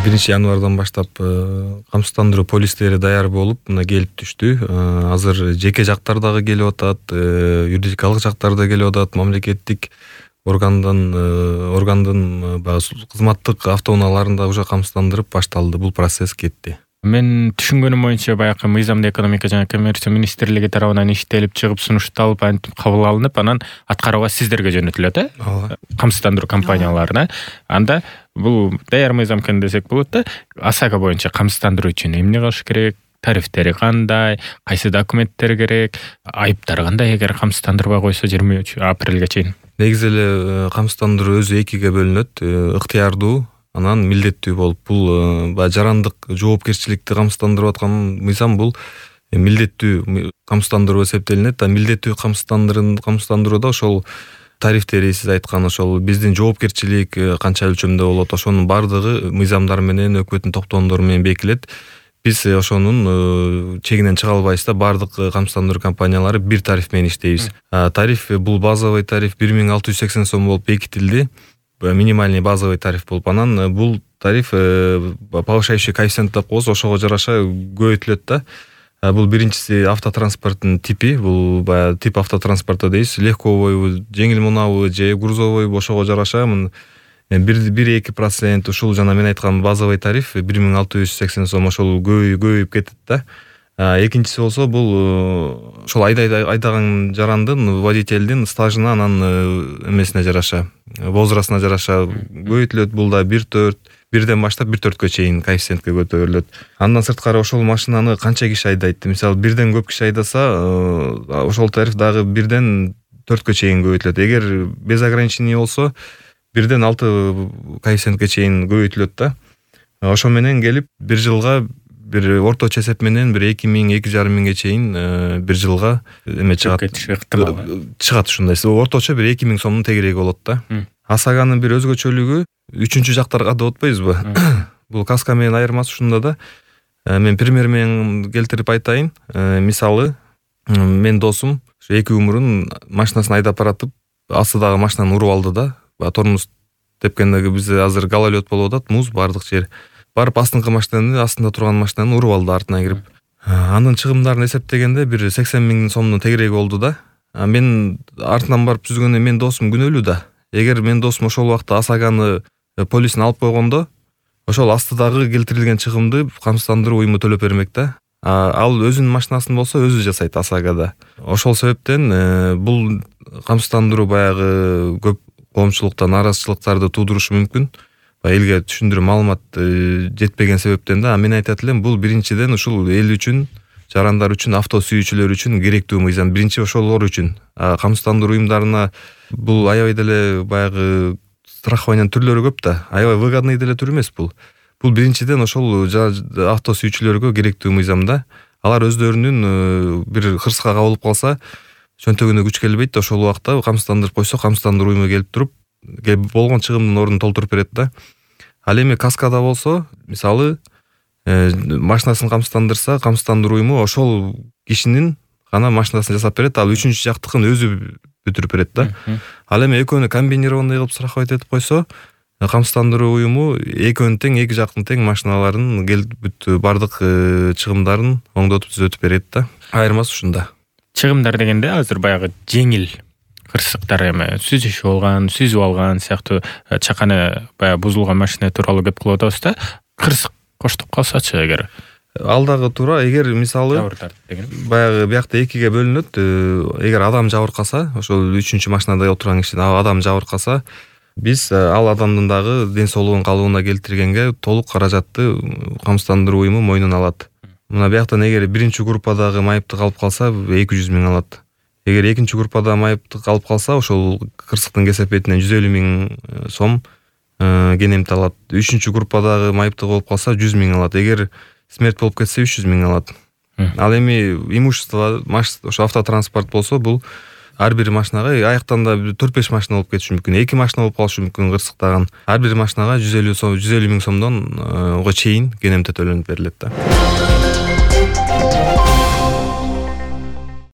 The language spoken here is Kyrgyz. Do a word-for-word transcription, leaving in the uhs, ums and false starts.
биринчи январдан баштап камсыздандыруу полистери даяр болуп мына келип түштү. Азыр жеке жактар дагы келип атат, юридикалык жактар да келип атат, мамлекеттик органдан органдын баягы кызматтык автоунааларында уже камсыздандырып башталды. Бул процесс кетти. Мен түшүнгөнүм боюнча баягы мыйзамдуу экономика жана коммерция министрлиги тарабынан иштелип чыгып сунушталып антип кабыл алынып, анан аткарууга сиздерге жөнөтүлөт, э? Ооба. Камсыздандыруу компанияларына. Анда бул даяр мыйзам экен десек болот да. ОСАГО боюнча камсыздандыруу үчүн эмне кылыш керек? Тарифтери кандай? Кайсы документтер керек? Айыптар кандай эгер камсыздандырбай койсо жыйырма үч апрелге чейин? Негизи эле камсыздандыруу өзү экиге бөлүнөт. Ыктыярдуу анан милдеттүү болуп, бул баягы жарандык жоопкерчиликти камсыздандырып аткан мыйзам бул милдеттүү камсыздандыруу эсептелинет. А милдеттүү камсыздандырууда ошол тарифтери сиз айткан ошол биздин жоопкерчилик канча өлчөмдө болот, ошонун бардыгы мыйзамдар менен, өкмөттүн токтомдору менен бекилет. Биз ошонун чегинен чыга албайбыз да, бардык камсыздандыруу компаниялары бир тариф менен иштейбиз. Тариф бул базовый тариф бир миң алты жүз сексен сом болуп бекитилди. Минимальный базовый тариф болуп, анан бул тариф повышающий коэффициент деп коебуз, ошого жараша көбөйтүлөт да. Бул биринчиси автотранспорттун типи, бул баягы тип автотранспорта дейбиз, легковой, жеңил мунабы же грузовой, ошого жараша бир эки процент ушул жана мен айткан базовый тариф бир миң алты жүз сексен сом ошол көбөйүп кетет да. Экинчиси болсо бул ошол айдаган жарандын, водительдин стажына, анан эмесине жараша, возрастына жараша көбөйтүлөт. Бул да бир төрт, бирден баштап бир төрткө чейин коэффициентке көтөрүлөт. Андан сырткары ошол машинаны канча киши айдайт? Мисалы, бирден көп киши айдаса, ошол тариф дагы бирден төрткө чейин көбөйтүлөт. Эгер без ограничений болсо, бирден алты коэффициентке чейин көбөйтүлөт да. Ошо менен келип бир жылга бир орточо эсеп менен бир эки миң, эки жарым миңге чейин бир жылга эме чыгат. Чыгат ушундай. Орточо бир эки миң сомдун тегереги болот да. ОСАГОнун бир өзгөчөлүгү үчүнчү жактарга да отпойбузбу? Бул каска менен айырмасы ушунда да. Мен пример менен келтирип айтайын. Мисалы, мен досум эки умурун машинасын айдап баратып, астыдагы машинаны уруп алды да. Тормоз тепкенде биз азыр гололед болуп атат, муз бардык жер. Барып астыңкы машинаны, астында турган машинаны уруп алды артынан кирип. Анын чыгымдарын эсептегенде бир сексен миң сомдун тегереги болду да. Мен артынан барып түзгөндө мен досум күнөөлүү да. Эгер мен досум ошол убакта ОСАГОны полисин алып койгондо, ошол астыдагы келтирилген чыгымды камсыздандыруу уюму төлөп бермек да. Ал өзүнүн машинасын болсо өзү жасайт ОСАГОда. Ошол себептен бул камсыздандыруу баягы көп коомчулукта нааразычылыктарды туудурушу мүмкүн. Элге түшүндүрүү маалымат жетпеген себептен да. Мен айтат элем, бул биринчиден ушул эл үчүн, жарандар үчүн, авто сүйүүчүлөр үчүн керектүү мыйзам. Биринчи ошолор үчүн. Камсыздандыруу уюмдарына бул аябай деле баягы страхованиянын түрлөрү көп да. Аябай выгодный деле түр эмес бул. Бул биринчиден ошол авто сүйүүчүлөргө керектүү мыйзам да. Алар өздөрүнүн бир кырсыкка кабылып калса, чөнтөгүнө күч келбейт, ошол убакта камсыздандырып койсо, камсыздандыруу уюму келип туруп, болгон чыгымдын ордун толтуруп берет да. Ал эми каскада болсо, мисалы, машинасын камсыздандырса, камсыздандыруу уюму ошол кишинин гана машинасын жасап берет, ал үчүнчү жактыкын өзү бүтүрүп берет да. Ал эми экөөнү комбинированный кылып страховать этип койсо, камсыздандыруу уюму экөөнүн тең, эки жактын тең машиналарын бүт бардык чыгымдарын оңдотуп түзөтүп берет да. Айырмасы ушунда. Чыгымдар дегенде азыр баягы жеңил кырсыктар, эми сүзүшүп алган, сүзүп алган сыяктуу чаканы баягы бузулган машина тууралуу кеп кылып атабыз да. Кырсык коштуп калсачы эгер. Ал дагы туура. Эгер мисалы баягы биякта экиге бөлүнөт. Эгер адам жабыркаса, ошол үчүнчү машинада отурган киши адам жабыркаса, биз ал адамдын дагы ден соолугун калыбына келтиргенге толук каражатты камсыздандыруу уюму мойнуна алат. Мына бияктан эгер биринчи группадагы майыпты калып калса, эки жүз миң алат. Эгер экинчи группада майыпты калып калса, ошол кырсыктын кесепетинен жүз элүү миң сом кенемти алат. Үчүнчү группадагы майыпты болуп калса, жүз миң алат. Эгер смерть болуп кетсе, үч жүз миң алат. Ал эми имущество, ошо автотранспорт болсо, бул ар бир машинага аяктанда төрт беш машина болуп кетиши мүмкүн. эки машина болуп калышы мүмкүн кырсыктаган. Ар бир машинага жүз элүү сом, жүз элүү миң сомдон го чейин кенемте төлөнүп берилет да.